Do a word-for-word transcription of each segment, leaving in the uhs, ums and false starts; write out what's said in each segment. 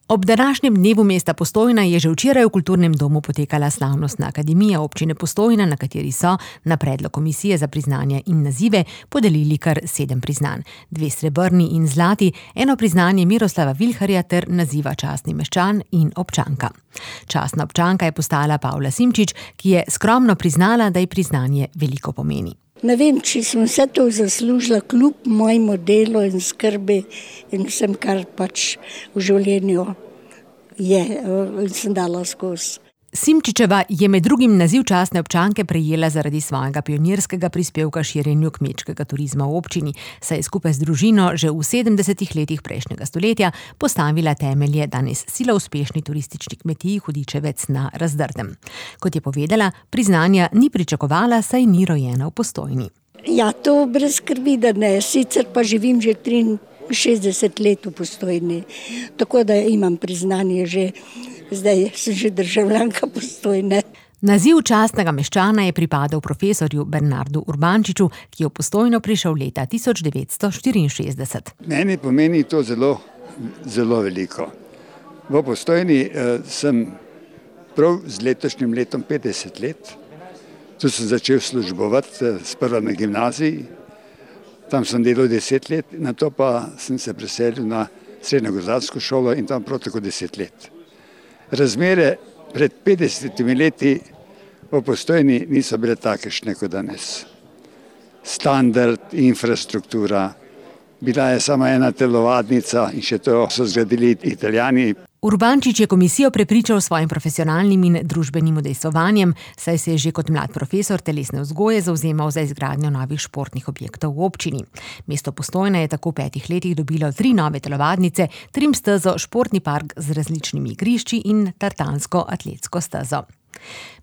Ob današnjem dnevu mesta Postojna je že včeraj v Kulturnem domu potekala slavnostna akademija občine Postojna, na kateri so, na predlog komisije za priznanja in nazive, podelili kar sedem priznanj. Dve srebrni in zlati, eno priznanje Miroslava Vilharja ter naziva častni meščan in občanka. Častna občanka je postala Pavla Simčič, ki je skromno priznala, da ji priznanje veliko pomeni. Ne vem, če sem vse to zaslužila kljub mojemu delu in skrbi in vsem, kar pač v življenju je in sem dala skozi. Simčičeva je med drugim naziv častne občanke prejela zaradi svojega pionirskega prispevka širjenju kmečkega turizma v občini, saj je skupaj z družino že v sedemdesetih letih prejšnjega stoletja postavila temelje danes sila uspešni turistični kmetiji Hudičevec na Razdrtem. Kot je povedala, priznanja ni pričakovala, saj ni rojena v Postojni. Ja, to brez skrbi, da ne. Sicer pa živim že triinšestdeset let v Postojni, tako da imam priznanje že. Zdaj sem že državljanka Postojne. Naziv častnega meščana je pripadal profesorju Bernardu Urbančiču, ki je v Postojno prišel leta tisoč devetsto štiriinšestdeset. Meni pomeni to zelo, zelo veliko. V Postojni eh, sem prav z letošnjim letom petdeset let. Tu sem začel službovati, sprva na gimnaziji. Tam sem delal deset let, nato pa sem se preselil na srednjo gozdarsko šolo in tam prav tako deset let. Razmere pred petdesetimi leti v Postojni niso bile takšne kot danes. Standard, infrastruktura, bila je samo ena telovadnica in še to so zgradili Italijani. Urbančič je komisijo prepričal s svojim profesionalnim in družbenim udejstvovanjem, saj se je že kot mlad profesor telesne vzgoje zavzemal za izgradnjo novih športnih objektov v občini. Mesto Postojna je tako v petih letih dobilo tri nove telovadnice, trim stezo, športni park z različnimi igrišči in tartansko atletsko stezo.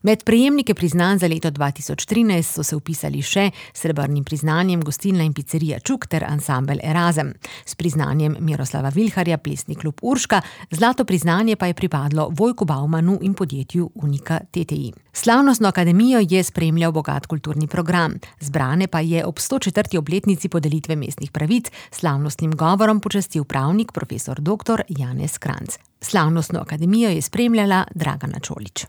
Med prejemnike priznanj za leto dva tisoč trinajst so se vpisali še srebrnim priznanjem gostilna in picerija Čuk ter ansambel Erazem. S priznanjem Miroslava Vilharja plesni klub Urška, zlato priznanje pa je pripadlo Vojku Baumanu in podjetju Unika T T I. Slavnostno akademijo je spremljal bogat kulturni program. Zbrane pa je ob sto četrti obletnici podelitve mestnih pravic slavnostnim govorom počastil pravnik profesor doktor Janez Kranjc. Slavnostno akademijo je spremljala Dragana Čolić.